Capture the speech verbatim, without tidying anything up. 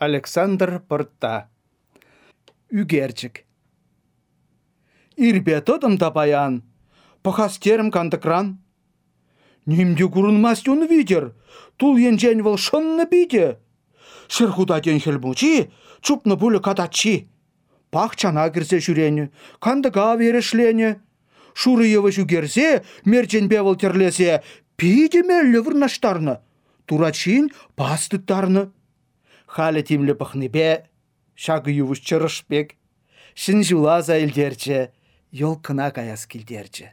Александр Пӑртта. Ӳкерчӗк. Ирпе тӑтӑм та паян, пӑхас терӗм кантӑкран. Ним те курӑнмасть ун витӗр, тул енчен вӑл шӑннӑ питӗ. Ҫӗр хута тен Хӗл Мучи, чупнӑ пулӗ катаччи. Пахчана кӗрсе ҫӳренӗ, кантӑка эрешленӗ. Шурӑ йывӑҫ ӳкерсе, мерченпе вӑл тӗрлесе питӗ меллӗ вырнаҫтарнӑ. Турат ҫийӗн пас тыттарнӑ. Халӗ тимлӗ пӑхнипе ҫакӑ йывӑҫ чӑрӑш пек. Ҫӗн ҫула аса илтерчӗ, елкӑна каяс килтерчӗ.